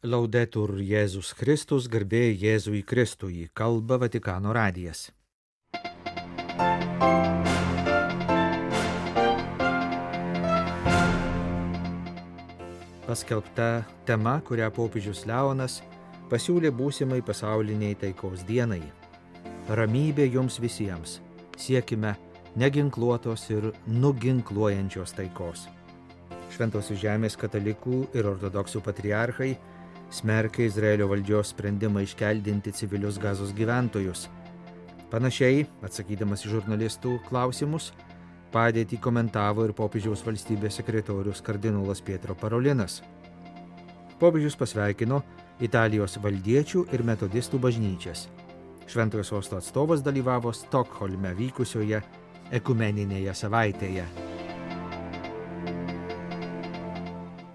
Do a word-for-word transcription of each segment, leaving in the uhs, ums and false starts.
Laudetur Jėzus Kristus, garbė Jėzui Kristui, kalba Vatikano radijas. Paskelbta tema, kurią popiežius Leonas pasiūlė būsimai pasauliniai taikos dienai. Ramybė jums visiems, siekime neginkluotos ir nuginkluojančios taikos. Šventosios žemės katalikų ir ortodoksų patriarchai smerkia Izraelio valdžios sprendimą iškeldinti civilius Gazos gyventojus. Panašiai, atsakydamas į žurnalistų klausimus, padėtį komentavo ir popiežiaus valstybės sekretorius kardinolas Pietro Parolinas. Popiežius pasveikino Italijos valdiečių ir metodistų bažnyčias. Šventojo sosto atstovas dalyvavo Stokholme vykusioje ekumeninėje savaitėje.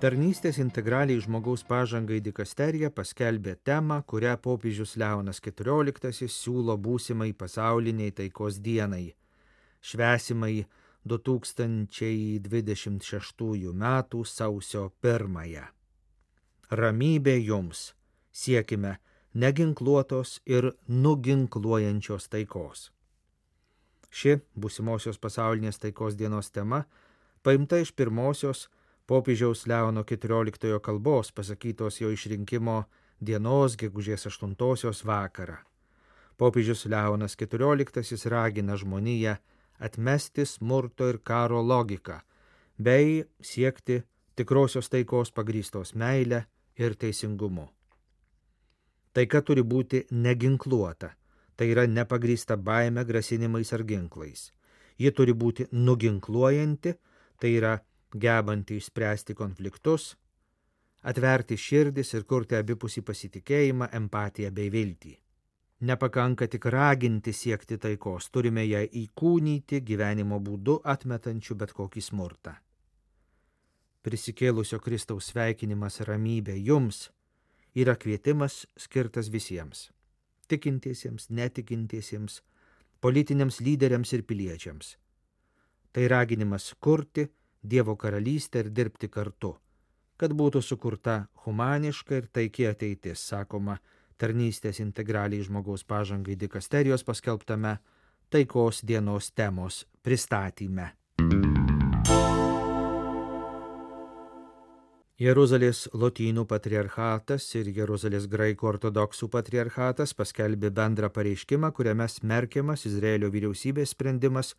Tarnystės integraliai žmogaus pažangai dikasterija paskelbė temą, kurią popiežius Leonas keturioliktasis siūlo būsimai pasauliniai taikos dienai, švęsimai du tūkstančiai dvidešimt šeštųjų metų sausio pirmąją. Ramybė jums, siekime neginkluotos ir nuginkluojančios taikos. Ši būsimosios pasaulinės taikos dienos tema paimta iš pirmosios popiežiaus Leono keturioliktojo kalbos pasakytos jo išrinkimo dienos gegužės aštuntosios vakarą. Popiežius Leonas keturioliktasis ragina žmoniją atmesti smurto ir karo logiką, bei siekti tikrosios taikos pagrįstos meile ir teisingumu. Taika turi būti neginkluota, tai yra nepagrįsta baime, grasinimais ar ginklais. Ji turi būti nuginkluojanti, tai yra gebanti išspręsti konfliktus, atverti širdis ir kurti abipusį pasitikėjimą, empatiją bei viltį. Nepakanka tik raginti siekti taikos, turime ją įkūnyti gyvenimo būdu, atmetančiu bet kokį smurtą. Prisikėlusio Kristaus sveikinimas ramybė jums yra kvietimas skirtas visiems – tikintiesiems, netikintiesiems, politiniams lyderiams ir piliečiams. Tai raginimas kurti Dievo karalystę ir dirbti kartu, kad būtų sukurta humaniška ir taiki ateitis, sakoma tarnystės integraliai žmogaus pažangai dikasterijos paskelbtame taikos dienos temos pristatyme. Jeruzalės lotynų patriarchatas ir Jeruzalės graikų ortodoksų patriarchatas paskelbė bendrą pareiškimą, kuriame smerkiamas Izraelio vyriausybės sprendimas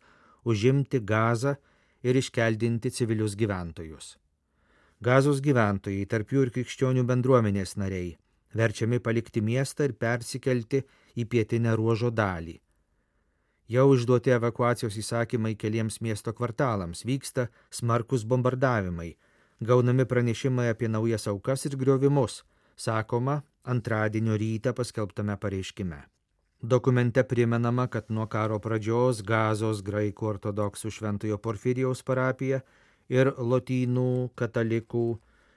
užimti Gazą ir iškeldinti civilius gyventojus. Gazos gyventojai, tarp jų ir krikščionių bendruomenės nariai, verčiami palikti miestą ir persikelti į pietinę ruožo dalį. Jau išduoti evakuacijos įsakymai keliems miesto kvartalams, vyksta smarkus bombardavimai, gaunami pranešimai apie naujas aukas ir griovimus, sakoma antradienio rytą paskelbtame pareiškime. Dokumente primenama, kad nuo karo pradžios Gazos graikų ortodoksų Šventojo Porfirijaus parapija ir lotynų katalikų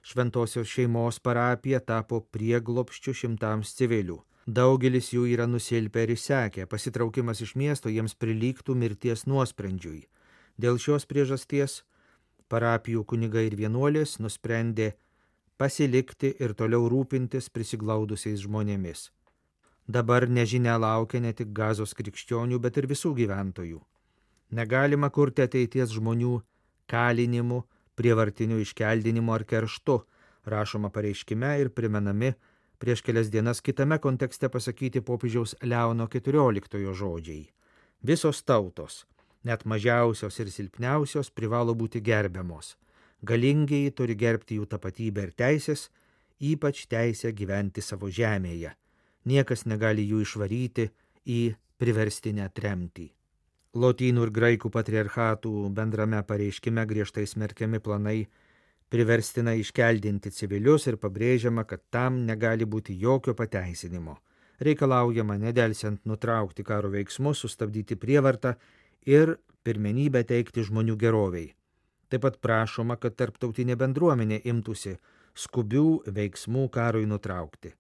Šventosios šeimos parapija tapo prieglobsčiu šimtams civilių. Daugelis jų yra nusilpę ir išsekę, pasitraukimas iš miesto jiems prilygtų mirties nuosprendžiui. Dėl šios priežasties parapijų kunigai ir vienuolės nusprendė pasilikti ir toliau rūpintis prisiglaudusiais žmonėmis. Dabar nežinia laukia ne tik Gazos krikščionių, bet ir visų gyventojų. Negalima kurti ateities žmonių kalinimu, prievartiniu iškeldinimu ar kerštu, rašoma pareiškime ir primenami prieš kelias dienas kitame kontekste pasakyti popiežiaus Leono keturioliktojo žodžiai. Visos tautos, net mažiausios ir silpniausios, privalo būti gerbiamos. Galingieji turi gerbti jų tapatybę ir teisės, ypač teisę gyventi savo žemėje. Niekas negali jų išvaryti į priverstinę tremtį. Lotynų ir graikų patriarchatų bendrame pareiškime griežtai smerkiami planai priverstinai iškeldinti civilius ir pabrėžiama, kad tam negali būti jokio pateisinimo. Reikalaujama nedelsiant nutraukti karo veiksmus, sustabdyti prievartą ir pirmenybę teikti žmonių geroviai. Taip pat prašoma, kad tarptautinė bendruomenė imtųsi skubių veiksmų karui nutraukti.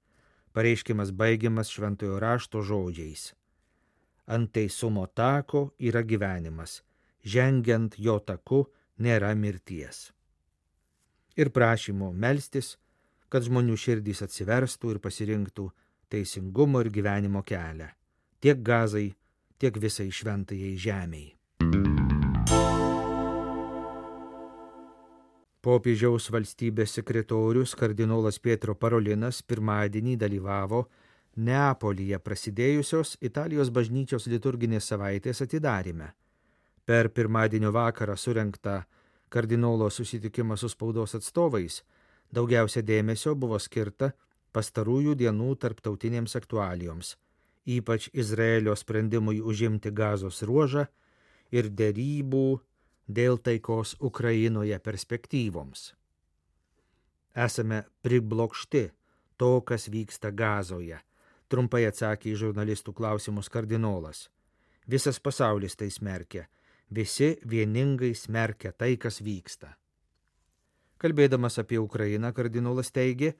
Pareiškimas baigiamas šventojo rašto žodžiais. Ant teisumo tako yra gyvenimas, žengiant jo taku nėra mirties. Ir prašymo melstis, kad žmonių širdys atsiverstų ir pasirinktų teisingumo ir gyvenimo kelią, tiek Gazai, tiek visai šventajai žemei. Popiežiaus valstybės sekretorius kardinolas Pietro Parolinas pirmadienį dalyvavo Neapolyje prasidėjusios Italijos bažnyčios liturginės savaitės atidaryme. Per pirmadienio vakarą surengtą kardinolo susitikimą su spaudos atstovais daugiausia dėmesio buvo skirta pastarųjų dienų tarptautinėms aktualijoms, ypač Izraelio sprendimui užimti Gazos ruožą ir derybų dėl taikos Ukrainoje perspektyvoms. Esame priblokšti to, kas vyksta Gazoje, trumpai atsakė į žurnalistų klausimus kardinolas. Visas pasaulis tai smerkia, visi vieningai smerkia tai, kas vyksta. Kalbėdamas apie Ukrainą, kardinolas teigė,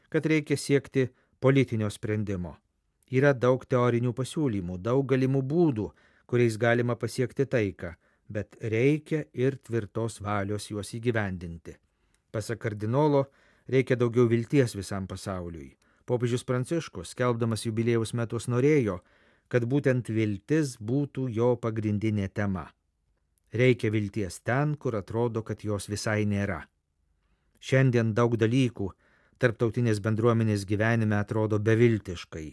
kad reikia siekti politinio sprendimo. Yra daug teorinių pasiūlymų, daug galimų būdų, kuriais galima pasiekti taiką, bet reikia ir tvirtos valios juos įgyvendinti. Pasak kardinolo, reikia daugiau vilties visam pasauliui. Popiežius Pranciškus, skelbdamas jubiliejaus metus, norėjo, kad būtent viltis būtų jo pagrindinė tema. Reikia vilties ten, kur atrodo, kad jos visai nėra. Šiandien daug dalykų tarptautinės bendruomenės gyvenime atrodo beviltiškai,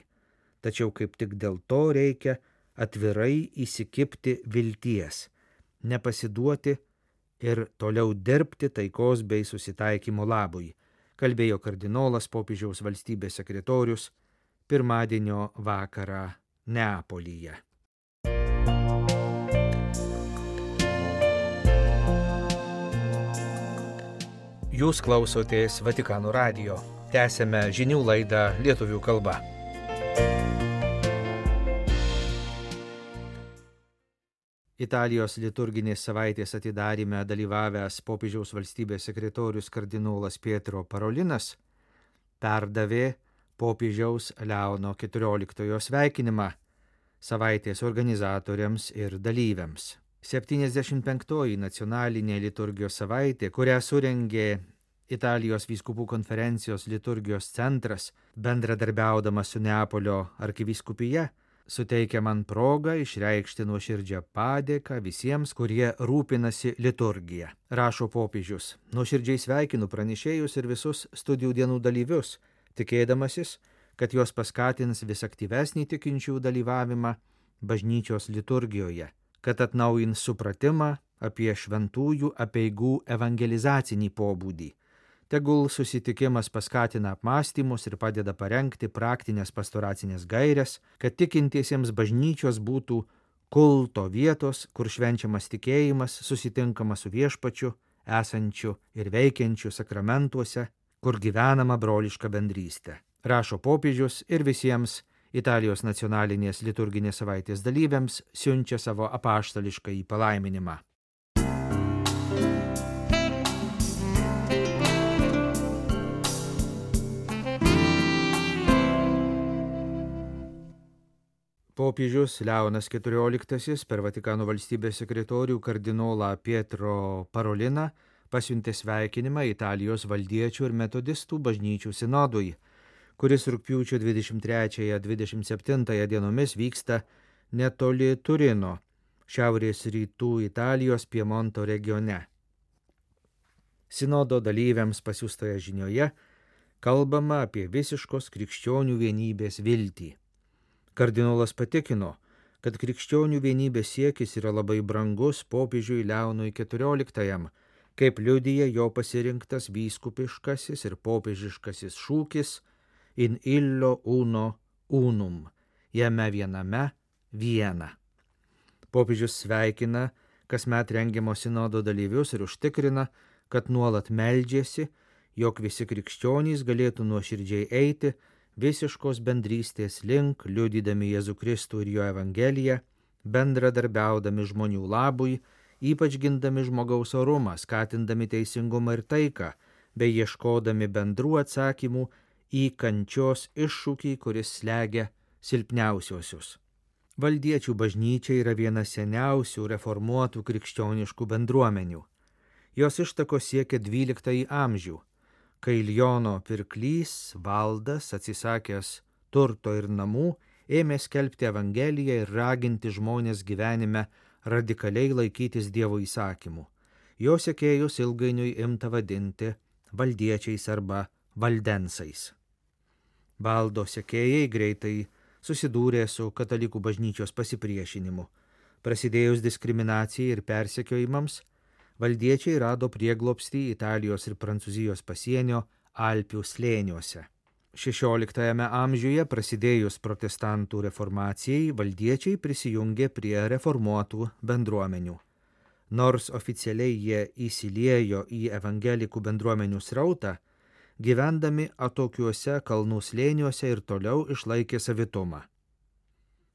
tačiau kaip tik dėl to reikia atvirai įsikibti vilties, nepasiduoti ir toliau dirbti taikos bei susitaikymo labui, kalbėjo kardinolas popiežiaus valstybės sekretorius pirmadienio vakarą Neapolyje. Jūs klausotės Vatikano radijo. Tęsėme žinių laidą lietuvių kalba. Italijos liturginės savaitės atidaryme dalyvavęs popiežiaus valstybės sekretorius kardinolas Pietro Parolinas perdavė popiežiaus Leono keturioliktojo sveikinimą savaitės organizatoriams ir dalyviams. septyniasdešimt penktoji nacionalinė liturgijos savaitė, kurią surengė Italijos vyskupų konferencijos liturgijos centras, bendradarbiaudamas su Neapolio arkivyskupija, suteikia man progą išreikšti nuoširdžią padėką visiems, kurie rūpinasi liturgija. Rašo popiežius, nuoširdžiai sveikinu pranešėjus ir visus studijų dienų dalyvius, tikėdamasis, kad jos paskatins vis aktyvesnį tikinčių dalyvavimą bažnyčios liturgijoje, kad atnaujins supratimą apie šventųjų apeigų evangelizacinį pobūdį. Tegul susitikimas paskatina apmąstymus ir padeda parengti praktinės pastoracinės gaires, kad tikintiesiems bažnyčios būtų kulto vietos, kur švenčiamas tikėjimas, susitinkama su viešpačiu, esančiu ir veikiančiu sakramentuose, kur gyvenama broliška bendrystė. Rašo popiežius ir visiems Italijos nacionalinės liturginės savaitės dalyviams siunčia savo apaštališkąjį palaiminimą. Popiežius Leonas keturioliktasis per Vatikano valstybės sekretorių kardinolą Pietro Paroliną pasiuntė sveikinimą Italijos valdiečių ir metodistų bažnyčių sinodui, kuris rugpjūčio dvidešimt trečiąją dvidešimt septintąją dienomis vyksta netoli Turino, šiaurės rytų Italijos Piemonto regione. Sinodo dalyviams pasiųstoje žinioje kalbama apie visiškos krikščionių vienybės viltį. Kardinolas patikino, kad krikščionių vienybės siekis yra labai brangus popiežiui Leonui keturioliktajam, kaip liudija jo pasirinktas vyskupiškasis ir popiežiškasis šūkis in illo uno unum, jame viename viena. Popiežius sveikina kasmet rengiamo sinodo dalyvius ir užtikrina, kad nuolat meldžiasi, jog visi krikščionys galėtų nuoširdžiai eiti visiškos bendrystės link, liudydami Jėzų Kristų ir jo Evangeliją, bendradarbiaudami žmonių labui, ypač gindami žmogaus orumą, skatindami teisingumą ir taiką, bei ieškodami bendrų atsakymų į kančios iššūkį, kuris slegia silpniausiosius. Valdiečių bažnyčia yra viena seniausių reformuotų krikščioniškų bendruomenių. Jos ištakos siekia dvyliktąjį amžių, kai Liono pirklys Valdas, atsisakęs turto ir namų, ėmė skelbti Evangeliją ir raginti žmonės gyvenime radikaliai laikytis Dievo įsakymų. Jo sekėjus ilgainiui imta vadinti valdiečiais arba valdensais. Valdo sekėjai greitai susidūrė su katalikų bažnyčios pasipriešinimu. Prasidėjus diskriminacijai ir persekiojimams, valdiečiai rado prieglobstį Italijos ir Prancūzijos pasienio Alpių slėniuose. šešioliktajame amžiuje prasidėjus protestantų reformacijai, valdiečiai prisijungė prie reformuotų bendruomenių. Nors oficialiai jie įsiliejo į evangelikų bendruomenių srautą, gyvendami atokiuose kalnų slėniuose ir toliau išlaikė savitumą.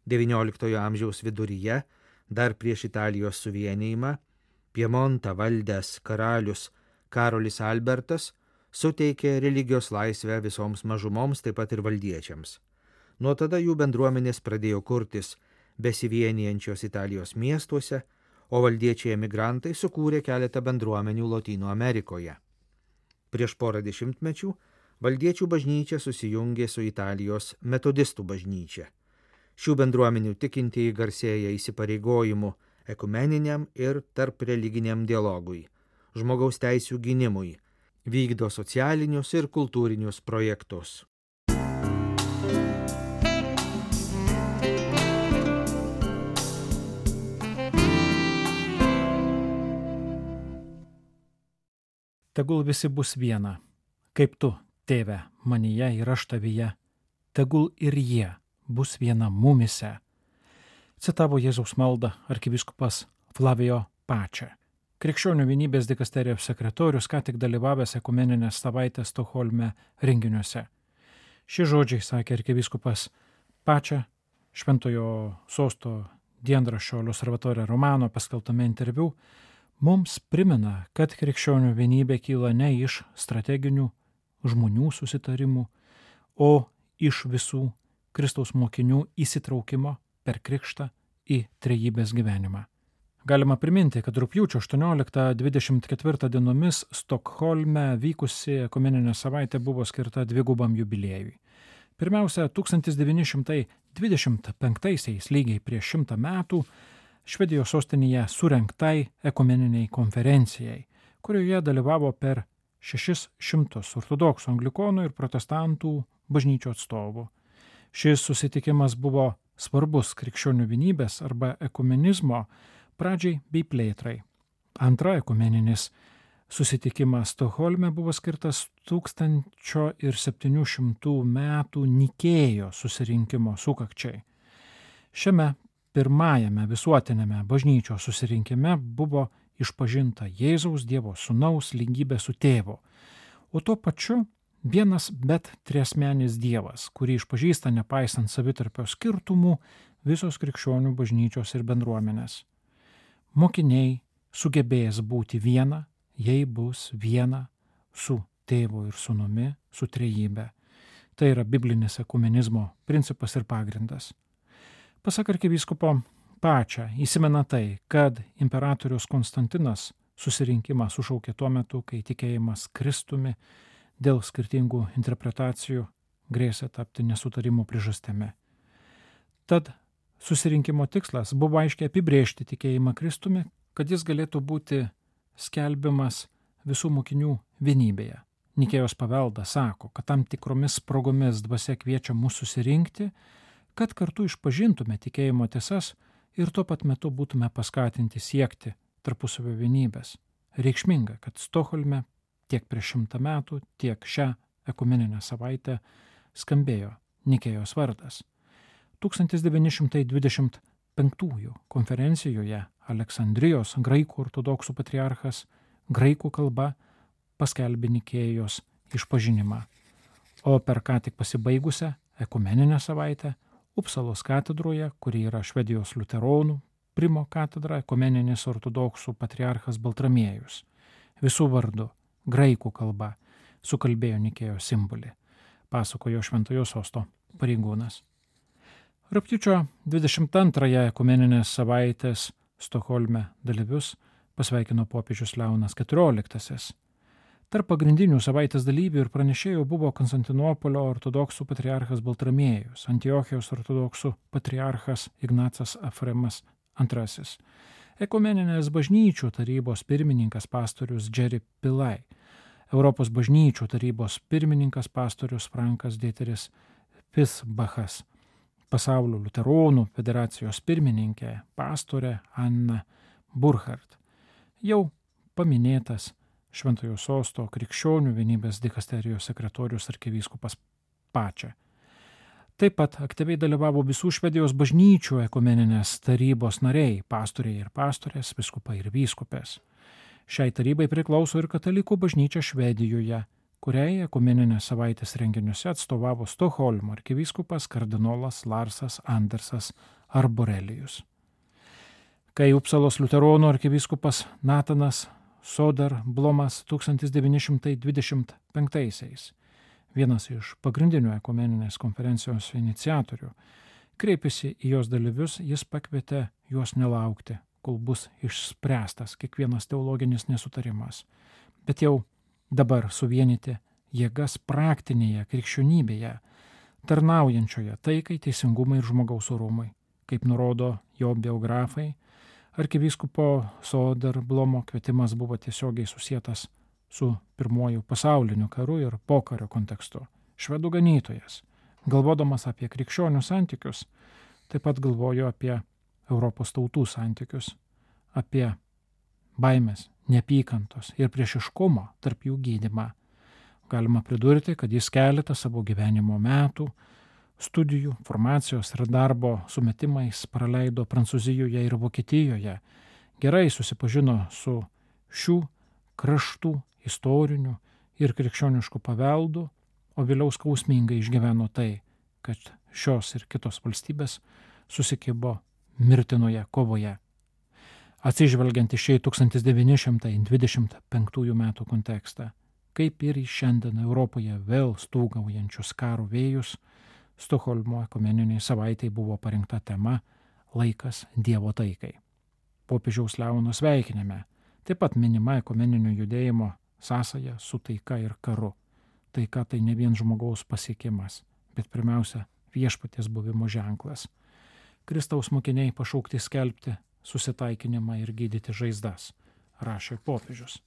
devynioliktojo amžiaus viduryje, dar prieš Italijos suvienijimą, Piemontą valdęs karalius Karolis Albertas suteikė religijos laisvę visoms mažumoms, taip pat ir valdiečiams. Nuo tada jų bendruomenės pradėjo kurtis besivienijančios Italijos miestuose, o valdiečiai emigrantai sukūrė keletą bendruomenių Lotynų Amerikoje. Prieš porą dešimtmečių valdiečių bažnyčia susijungė su Italijos metodistų bažnyčia. Šių bendruomenių tikintieji garsėja įsipareigojimu ekumeniniam ir tarp religiniam dialogui, žmogaus teisių gynimui, vykdo socialinius ir kultūrinius projektus. Tegul visi bus viena, kaip tu, tėve, manyje ir aš tavyje, tegul ir jie bus viena mumise. Citavo Jėzaus maldą arkivyskupas Flavijo Pačia. Krikščionių vienybės dikasterijos sekretorius ką tik dalyvavęs ekumeninės savaitės Stokholme renginiuose. Šie žodžiai, sakė arkivyskupas Pačia, Šventojo sosto dienraščio L'Osservatore Romano paskelbtame interviu, mums primena, kad krikščionių vienybė kyla ne iš strateginių žmonių susitarimų, o iš visų Kristaus mokinių įsitraukimo per krikštą į trejybės gyvenimą. Galima priminti, kad rugpjūčio aštuonioliktą dvidešimt ketvirtą dienomis Stokholme vykusi ekumeninė savaitė buvo skirta dvigubam jubiliejui. Pirmiausia, tūkstantis devyni šimtai dvidešimt penktaisiais, lygiai prieš šimtą metų, Švedijos sostinėje surengtai ekumeniniai konferencijai, kurioje dalyvavo per šešis šimtus ortodoksų, anglikonų ir protestantų bažnyčių atstovų. Šis susitikimas buvo svarbus krikščionių vienybės arba ekumenizmo pradžiai bei plėtrai. Antra ekumeninis susitikimas Stokholme buvo skirtas tūkstančio septynių šimtų metų Nikėjo susirinkimo sukakčiai. Šiame pirmajame visuotinėme bažnyčios susirinkime buvo išpažinta Jėzaus Dievo Sūnaus lygybė su tėvu, o tuo pačiu vienas bet triasmenis Dievas, kurį išpažįsta nepaisant savitarpio skirtumų visos krikščionių bažnyčios ir bendruomenės. Mokiniai sugebės būti viena, jei bus viena su tėvu ir sūnumi, su trejybe. Tai yra biblinis ekumenizmo principas ir pagrindas. Pasak arkivyskupo Pačia, įsimena tai, kad imperatorius Konstantinas susirinkimą sušaukė tuo metu, kai tikėjimas Kristumi dėl skirtingų interpretacijų grėsė tapti nesutarimų priežastimi. Tad susirinkimo tikslas buvo aiškiai apibrėžti tikėjimą Kristumi, kad jis galėtų būti skelbiamas visų mokinių vienybėje. Nikėjos paveldas sako, kad tam tikromis progomis dvasia kviečia mus susirinkti, kad kartu išpažintume tikėjimo tiesas ir tuo pat metu būtume paskatinti siekti tarpusavio vienybės. Reikšminga, kad Stokholme tiek prieš šimtą metų, tiek šią ekumeninę savaitę skambėjo Nikėjos vardas. tūkstantis devyni šimtai dvidešimt penktųjų konferencijoje Aleksandrijos graikų ortodoksų patriarchas graikų kalba paskelbė Nikėjos išpažinimą, o per ką tik pasibaigusią ekumeninę savaitę Upsalos katedroje, kuri yra Švedijos liuteronų primo katedra, ekumeninis ortodoksų patriarchas Baltramiejus visų vardu graikų kalba sukalbėjo Nikėjos simbolį, pasakojo Šventojo sosto pareigūnas. Rugpjūčio dvidešimt antrąją ekumeninės savaitės Stokholme dalyvius pasveikino popiežius Leonas keturioliktasis. Tarp pagrindinių savaitės dalyvių ir pranešėjų buvo Konstantinopolio ortodoksų patriarchas Baltramiejus, Antiochijos ortodoksų patriarchas Ignacas Efremas antrasis, Ekumeninės bažnyčių tarybos pirmininkas pastorius Jerry Pillai, Europos bažnyčių tarybos pirmininkas pastorius Frankas Dieteris Pisbachas, Pasaulio liuteronų federacijos pirmininkė pastorė Anna Burkhardt, jau paminėtas Šventojo Sosto krikščionių vienybės dikasterijos sekretorius arkivyskupas Pačia. Taip pat aktyviai dalyvavo visų Švedijos bažnyčių ekumeninės tarybos nariai, pastoriai ir pastorės, vyskupai ir vyskupės. Šiai tarybai priklauso ir katalikų bažnyčia Švedijoje, kuriai ekumeninės savaitės renginiuose atstovavo Stokholmo arkivyskupas kardinolas Larsas Andersas Arborelijus. Kai Upsalos liuteronų arkivyskupas Natanas Soderblomas tūkstantis devyni šimtai dvidešimt penktaisiais, vienas iš pagrindinių ekumeninės konferencijos iniciatorių, kreipėsi į jos dalyvius, jis pakvietė juos nelaukti, kol bus išspręstas kiekvienas teologinis nesutarimas, bet jau dabar suvienyti jėgas praktinėje krikščionybėje, tarnaujančioje taikai, teisingumui ir žmogaus orumui, kaip nurodo jo biografai. Arkivyskupo Soderblomo kvietimas buvo tiesiogiai susietas su pirmuoju pasauliniu karu ir pokario kontekstu. Švedų ganytojas, galvodamas apie krikščionių santykius, taip pat galvojo apie Europos tautų santykius, apie baimės, neapykantos ir priešiškumo tarp jų gydymą. Galima pridurti, kad jis keletą savo gyvenimo metų studijų, formacijos ir darbo sumetimais praleido Prancūzijoje ir Vokietijoje, gerai susipažino su šių kraštų istoriniu ir krikščionišku paveldu, o vėliau skausmingai išgyveno tai, kad šios ir kitos valstybės susikibo mirtinoje kovoje. Atsižvelgiant į šį tūkstantis devyni šimtai dvidešimt penktųjų metų kontekstą, kaip ir į šiandien Europoje vėl stūgaujančius karo vėjus, Stokholmo ekumeniniai savaitai buvo parinkta tema Laikas Dievo taikai. Popiežiaus Leono sveikinime taip pat minima ekumeninio judėjimo sąsaja su taika ir karu. Taika tai ne vien žmogaus pasiekimas, bet pirmiausia viešpaties buvimo ženklas. Kristaus mokiniai pašaukti skelbti susitaikinimą ir gydyti žaizdas, rašė popiežius.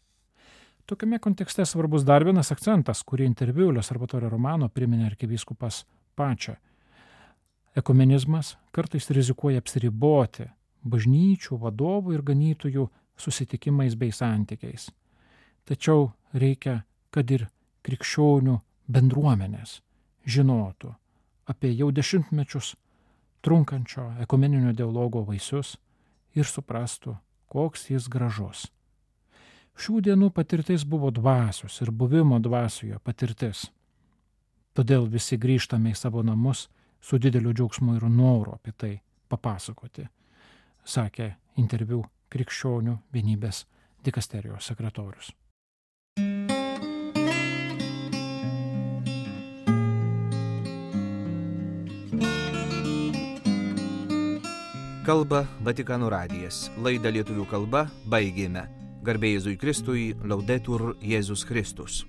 Tokiame kontekste svarbus dar vienas akcentas, kurį interviu L'Osservatore Romano priminė arkivyskupas Pačia. Ekumenizmas kartais rizikuoja apsiriboti bažnyčių, vadovų ir ganytojų susitikimais bei santykiais. Tačiau reikia, kad ir krikščionių bendruomenės žinotų apie jau dešimtmečius trunkančio ekumeninio dialogo vaisius ir suprastų, koks jis gražus. Šių dienų patirtis buvo dvasios ir buvimo dvasioje patirtis. Todėl visi grįžtame į savo namus su dideliu džiaugsmu ir noru apie tai papasakoti, sakė interviu krikščionių vienybės dikasterijos sekretorius. Kalba Vatikano radijas. Laidą lietuvių kalba baigėme. Garbė Jėzui Kristui, Laudetur Jėzus Kristus.